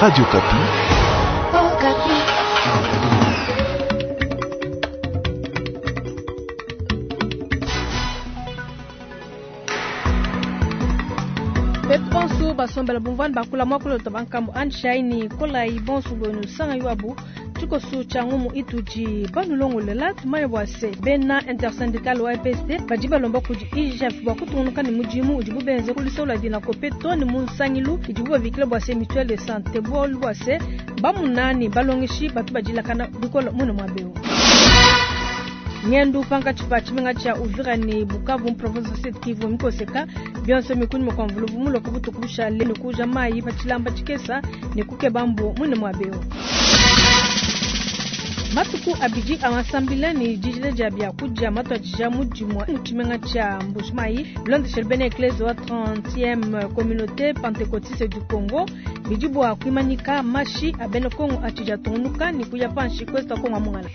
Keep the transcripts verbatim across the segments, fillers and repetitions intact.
Radio Okapi. Betu bonso basombela bumvani bakula mwakulota bankambo anshaini kolayi bonso bwenu sanga yuabu tshikoso tshia ngumu itudi banulongolela tumanye bua se bena intersyndical wa E P S T badi balomba kudi I G F bua kutungunuka ne mudimu udibu benze ku luseke lua Dinacope to ne mu nsangilu idibu babikila bua se mutuelle de santé, bualu bua se bamunani balongeshi batu badilakana bikole mune muaba eu. Ngendu pankatshi pa tshimenga tshia Uvira ne Bukavu mu province wa Sud Kivu mikoseka bionso mikuni kua mvuluvu muloka butuku bushale ne kuja mayi pa tshilamba tshikesa ne kukeba mbu mune muaba eu. Matuku abidi a masambila ne dijila dia biakudia matuadija mudimu mu tshimenga tshia Mbujimayi bilondeshele bena eklese wa trentième communauté pentecôtiste du Congo, bidi bua kuimanyika mashi a bena Kongo atshidi atungunuka ne kuya panshi kwesta Kongo amungala.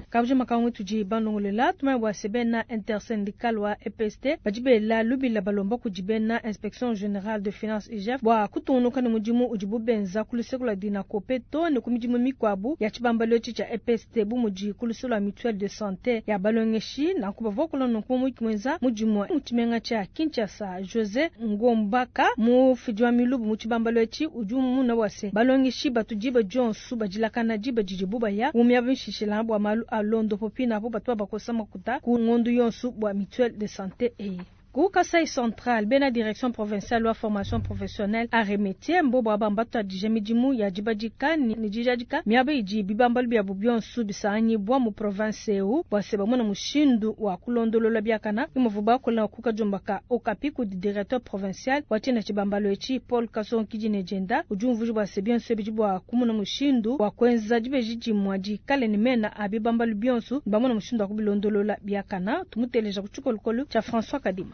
Kabuji makangu tudi banongolela tumanye bua se bena intersyndical wa E P S T badi bela lubila balomba kudi bena inspection générale de finance I G F bua kutungunuka ne mudimu udibu benza ku luseke lua Dinacope to ne ku midimu mikuabu ya tshibambalu etshi tshia E P S T bu mudi ku luseke lua mutuelle de santé ya balongeshi. Nanku bavua kula nunku mu muenza mudimu mu tshimenga tshia Kinshasa. José Ngombaka, mufidi wa milubu mu tshibambalu etshi, udi umuna bua se balongeshi batu diba dionso badilakana diba didibu baya mu miaba mishishila bua malu a londopo pinapo batu babakosa makuta ku ngondu yonso bua mutuelle de santé eyi. Ku Kasai Central, bena direction provinciale wa formation professionnelle arts et métiers mbobo aba mbatuadije midimu ya dibadika ne dijadika miaba idi bibambalu biabu bionso bisanganyibua mu province eu bua se bamona mushindu wa kulondolola biakana imuvu bakola ku kadiomba ka Okapi kudi directeur provincial wa tshina tshibambalu etshi Paul Kasongi ne jenda udi umvuija bua se bionso bidi bua kumona mushindu wa kuenza dibeji dimue dikale ne mena a bibambalu bionso, bamona mushindu wa kubilondolola biakana. Tumuteleja ku tshikolokolo tshia François Kadima.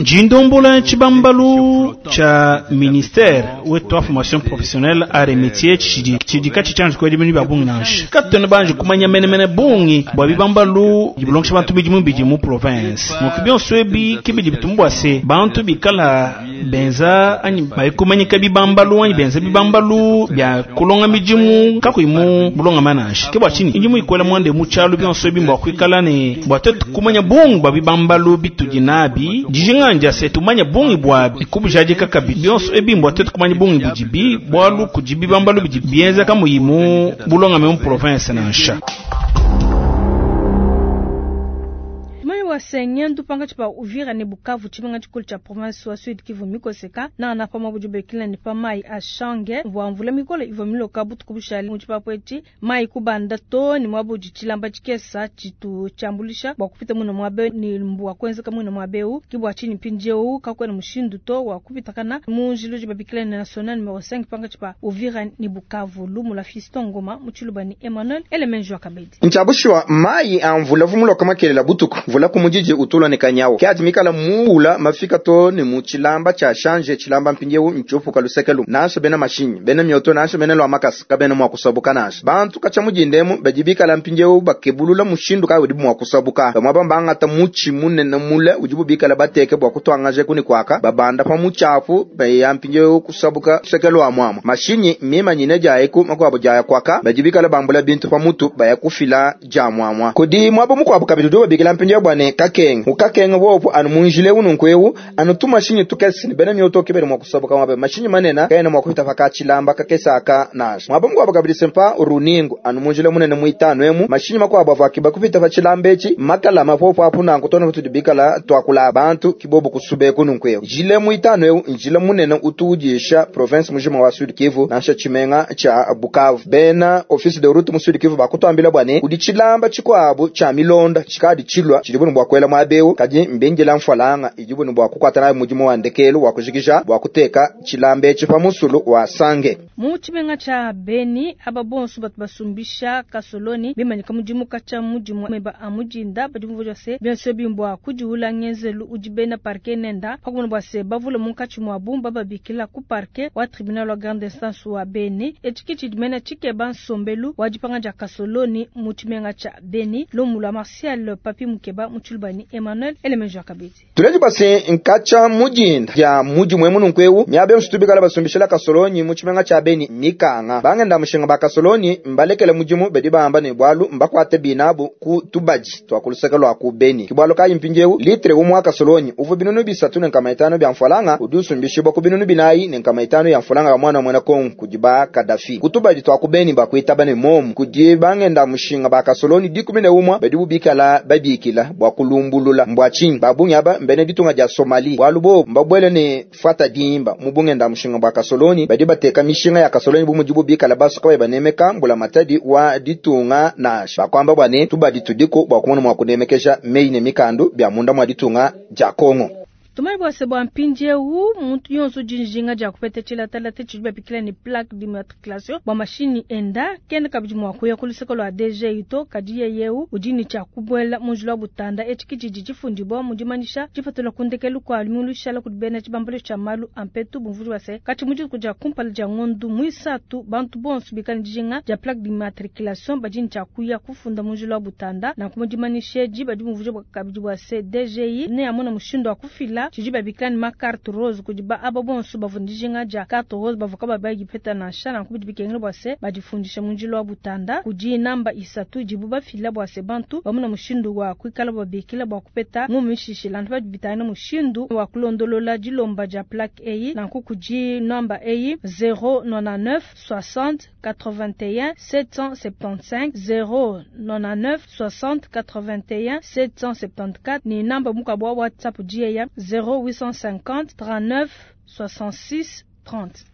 Jindombola tshibambalu tshia ministère wetu wa formation professionnelle arts et métiers tshidi tshidi katshi tshianji kwedi binu bia bungi nansha katwena banji kumanya menemene bungi bua bibambalu dibulongesha bantu bidimu bidi mu province. Nunku bionso ebi kibidi bitumbu bua se bantu bikala benza anyi bayikumanyika bibambalu anyi benza bibambalu bia kulonga midimu kakuyi mu bulongama nansha. Ke bua tshinyi indimu ikwela mwande mu tshialu bionso ebi mbua kuikala ne bua twetu kumanya bungi bua bibambalu bitudi nabi. Dijinga ndia se tumanya bungi bua kubijadika kabi bionso ebi mbua twetu kumanya bungi budibi, bualu kudi bibambalu bidi bienza kamuyi mu bulongame mu province nansha. Wa sengendu pankatshi pa Uvira ne Bukavu, tshimenga tshikulu tshia province wa Sud Kivu mikoseka nanga pamwe budi bekila ne pa mayi a shange mvua mvula mikole ivua miloka butuku bushale mu tshipapu etshi, mayi kubanda to ne muaba udi tshilamba tshikesa tshitu tshiambulisha bua kupita muine muaba ne mbua kuenzeka muine muaba eu. Ke bua tshinyi mpindieu kakuena mushindu to wa kupitakana mu njila udi babikila ne national numero cinq pankatshi pa Uvira ne Bukavu. Lumu la Fiston Ngoma mu Tshiluba ne Emmanuel Elemenjo Akabedi. Ntshabushiwa mayi a mvula vumuloka makelela butuku mvula kumujiji utulwa ne kanyawo ke mikala muula mafika to ne mu tshilamba tshia shanje tshilamba mpindieu ntshiupuka lusekelu nansha bena mashinyi bena mioto nansha bena lwa makasa kabena mua kusabuka nansha bantu katshia mujindemu badi bikala mpindieu bakebulula mushindu kayi udibu mua kusabuka. Bamwe bambangata mutshi munene mule udibu bikala bateke bua kutuangaje kuni kwaka babanda pa mutshapu baya mpindieu kusabuka lusekelu wa muamua mashinyi mimanyine jaeku makuabo jaya kwaka badi bikala bambula bintu pa mutu baya kufila ja muamua kudi muaba mukuabo kabidi udi babikila mpindieu bua ne kakenga ukakenga wopo anu munjile ununku ewu anu tu mashinyi tukese ne bena mioto kebele mua kusabuka muaba mashinyi manene kaena mua kupita paka tshilamba kakesa aka nansha. Muaba mukuabo kabidi sempa runingu anu munjile munene muitanu emu mashinyi makuabo avua akiba kupita pa tshilamba etshi makala mapopo apu nanku tona tudi bikala tuakula bantu kibobo kusube kununku ewu njile muitanu ewu njile munene utu udisha province mujima wa Sud Kivu nansha tshimenga tshia Bukavu. Bena office de route mu Sud Kivu bakutuambila bua ne kudi tshilamba tshikuabu tshia milonda tshikadi tshilua tshidi bunu bua kuela muaba kadi mbengela mfwalanga idi bunu bua kukwata nayo mudimu wa ndekelu wa kujikija bua kuteka tshilamba etshi pa musulu wa sange. Mu tshimenga tshia Beni aba bonso batu basumbisha kasoloni bimanyika mudimu katshia mudimu meba a mujinda badi bumvua se bionso bimbua kudiula ngenzelu udi bena parquet nenda pakumona bua se bavule munkatshi muabu bababikila ku parquet wa tribunal wa grande instance wa Beni. Etshi tshidi tshikeba nsombelu wa dipanga dia kasoloni mu tshimenga tshia Beni. Lumu lua Martial Papi Mukeba mu Tshiluba ne Emmanuel Elemenjo Kabidi. Tuleji basi nkacha mujinda ya muji mwemu nunkweu miabe nsutubikala basumbishila kasolonyi mu tshimenga tshia Beni mikanga bangenda mushinga ba kasolonyi mbalekele mujimu bedi bahamba ne bwalu mbakwate binabu ku tubaji twakuluseka lwa ku Beni kibwalo kayi mpinjewu litre umwa kasolonyi uvu binunu bisatu ne nkama itano bya mfalanga udusumbishibwa ku binunu binayi ne nkama itano ya mfalanga mwana mwana Kongo kujiba Kadafi kutubaji twakubeni bakwita bane momu kudi bangenda mushinga ba kasoloni dikumi ne umwa bedi bubikala babikila bwa kulumbulula mbwa chinyi babungi aba mbene ditunga dia Somali bwalu bo mbabwele ne fata dimba mubungenda mushinga bwa kasoloni badi bateka mishinga ya kasoloni bumujibu bikala basuka banemeka mbula matadi wa ditunga nasha bakwamba bwane tubadi tudiko bwa kumona mwa kunemekesha mei ne mikandu bya munda mwa ditunga dia Kongo. Tumai bwa sebo mpinjewu muntu yonso jinjinga ja kupete chila talate chijiba pikila ni plaque d'immatriculation bwa mashini enda kenda kabidi mwa kuya kuluseko lwa D G ito kadiye yeu ujini cha kubwela munjula butanda echiki jiji jifundibwa mujimanisha jipatula kundekelu kwa alimulu shala kudibena chibambalo cha malu ampetu bumvuri wase kati muji kuja kumpala ja ngondu mwisatu bantu bonsu bikani jijinga ja plaque d'immatriculation bajini cha kuya kufunda munjula butanda na kumujimanisha jiba jibumvuri kabidi bwa se D G I ne amona mushindo wa kufila chijiba bikani ma carte rose kujiba aba bonso bavundijinga ja carte rose bavuka babagi peta na shana kubidi bikengele bwase badifundisha munjilo wa butanda kuji namba isatu jibu bafila bwase bantu bamuna mushindu wa kuikala babikila bwa kupeta ngumishishi lantu badibitana mushindu wa kulondolola jilomba ja plaque eyi na kukuji namba eyi zéro nonante-neuf soixante quatre-vingt-un sept cent soixante-quinze zéro nonante-neuf soixante quatre-vingt-un sept cent soixante-quatorze ni namba mukabwa WhatsApp jiya zéro huit cent cinquante trente-neuf soixante-six trente.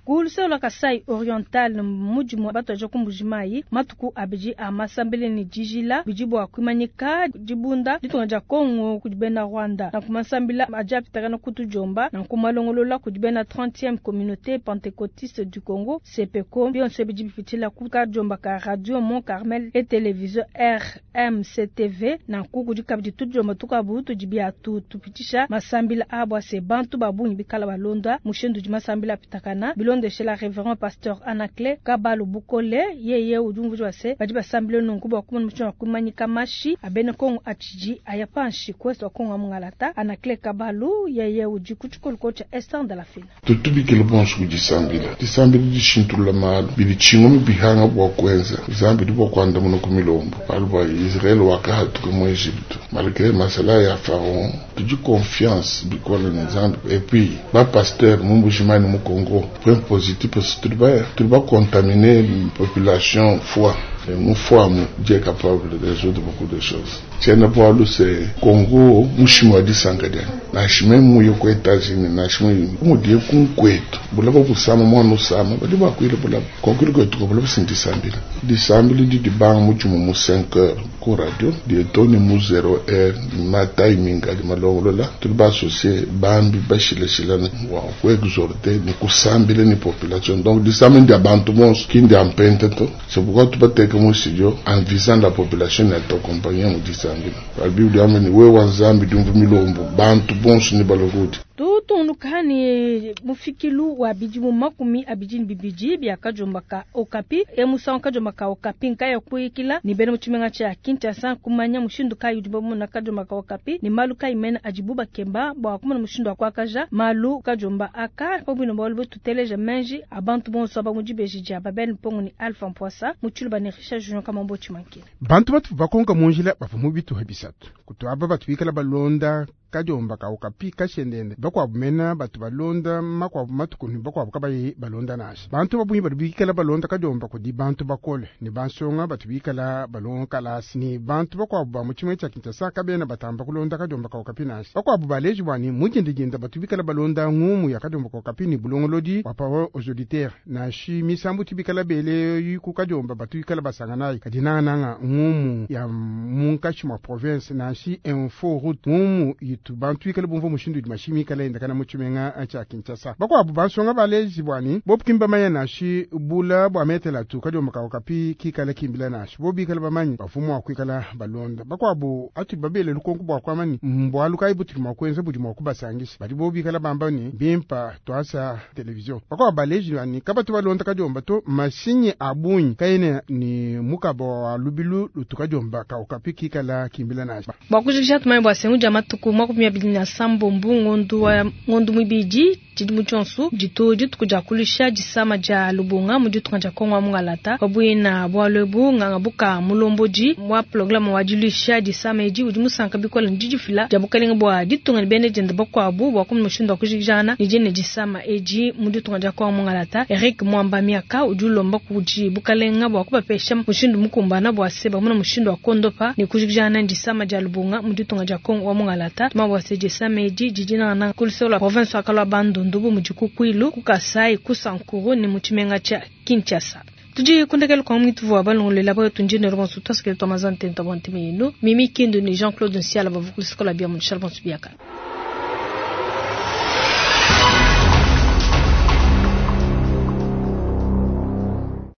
Kuhuluselo la Kasai Oriental mujimu bato kumbujimayi matuku abiji amasambele ni jijila bijibu akwimanyika jibunda ditunga ja Kongo kujibena Rwanda na kumasambila ajapitaka kutujomba na kumalongolola kujibena trentième communauté pentecôtiste du Congo C P C O bionse bijibipitila kuka jomba ka radio Mont Carmel et télévision R M C T V na kukujikabidi tujomba tukabutu jibiatu tupitisha masambila abwa se bantu babungi bikala balonda mushindu jimasambila pitakana bilonde la révérend pasteur Anaclet Kabalo Bukole yeye ujumvu wase badi basambile nungu bwa kumona mucho kumanyika mashi abene Kongo achiji ayapanshi kweso wa Kongo mungalata Anaclet Kabalo yeye uji kuchukuluko cha Esther de la Fina tutubikile bonso kujisambila disambila dishintula malu bilichingo mibihanga bwa kwenza zambi libwa kwanda muno kumilombo alwa Israel wakahatuka mu Egypte malgré masala ya Pharaon tuji confiance bikola na zambi et puis ba pasteur mumbujimani mu Congo point positif parce que tu vas contaminer une population foi. Et mon foi, Dieu est capable de résoudre beaucoup de choses. Tiens, pour c'est Congo, Mushimo di Sangadia. Nashime mu yoko États-Unis, nashime mu die kunkwetu. Bulaba kusama mwana usama, bali bakwile bulaba. Konkwile kwetu bulaba sindisambila. Disambila di di bang mujumu mu cinq heures ku radio, di toni mu zéro heure, ma timing ali malongolola. Tu ba associer bambi bashile shilana wa ku exhorter ni kusambila ni population. Donc disambila ndi abantu bonso kindi ampente to. C'est pourquoi tu peux te mon studio en visant la population et t'accompagner mu disambila. La Bible ameni we wa Nzambi dumvu milombo bantu bonso ni balokoti. Tutunukani mufikilu wa bijimu makumi abijini bibiji bya kajomba ka Okapi e musango kajomba ka Okapi nkaya kuikila ni bene muchimenga cha Kinshasa kumanya mushindu kayu dibomu na kajomba ka Okapi ni malu kaimena ajibuba kemba bwa kumana mushindu akwakaja malu kajomba aka pobino bolbo tuteleja menji abantu bonso abamujibeji ja babel mpongo ni Alpha Mpoisa muchulu ni Richard Junior Kamambo Chimanke bantu batu bakonka munjila bafu mubitu habisatu kutwaba batwikala balonda kajomba ka Okapi kashendende bakwabumena batu balonda makwabu matukuni bakwabu kabayi balonda nasha bantu babunyi batu bikala balonda kajomba kudi bantu bakole ni bansonga batu bikala balonga kalasi ni bantu bakwabu ba muchimwe cha Kinshasa kabena batamba kulonda kajomba ka Okapi nasha bakwabu baleji bwani mujendejenda batu bikala balonda ngumu ya kajomba ka Okapi ni bulongolodi wa parole aux auditeurs nashi misambu tibikala bele yuku kajomba batu bikala basanganayi kadinananga ngumu ya munkashi mwa province nashi info route ngumu itu bantu ikale bumva mushindu udi mashinyi ikale enda kana mu tshimenga tshia Kinshasa. Bakuabu bansonga baleji bwani bobu kimba manya nashi bula bua metela tu kadiomba ka okapi kikale kimbila nashi bo bikale bamanyi bafumu wa kuikala balonda. Bakuabu atudi babele lukonko bua kuamani mbwalu kayi butudi mua kuenza budi mua kubasangisha badi bo bikala bamba ni bimpa twasa television. Bakuabu baleji bwani kabatu balonda kadiomba to mashinyi abunyi kayene ni mukaba wa lubilu lutukadiomba ka okapi kikala kimbila nashi. Bua kujikija tumanye bua sengu dia matuku makumi abidi na sambombo ngondu wa ngondu muibidi tshidimu tshionso ditu dituku dia kulusha disama dia lubunga mu ditunga dia Kongo wa Mungalata pabuina bualu ebu nganga buka mulombodi wa programme wa dilusha disama edi udi musanka bikola ne didifila dia bukalenga bua ditunga ne bene dienda bakuabu bua kumona mushindu wa kujikijana ne diene disama edi mu ditunga dia Kongo wa Mungalata. Eric Mwamba Miaka udi ulomba kudi bukalenga bua kubapesha mushindu mukumbana bua se bamona mushindu wa kondopa ne kujikijana ne disama dia lubunga mu ditunga dia Kongo wa Mungalata. Tuma bua se disama edi didi nangana kulusela province wa Kalwa Bandundu ndubu mudi ku Kwilu, ku Kasai, ku Sankuru ne mu tshimenga tshia Kinshasa. Tudi kundekela kwa mwitu wa balongolela ba tunjine ronsu twasikele twa mazante ntwa bonte mino. Mimi Kindu ni Jean-Claude Nsiala bavukulisikola bia mu Charles Bonsubiaka.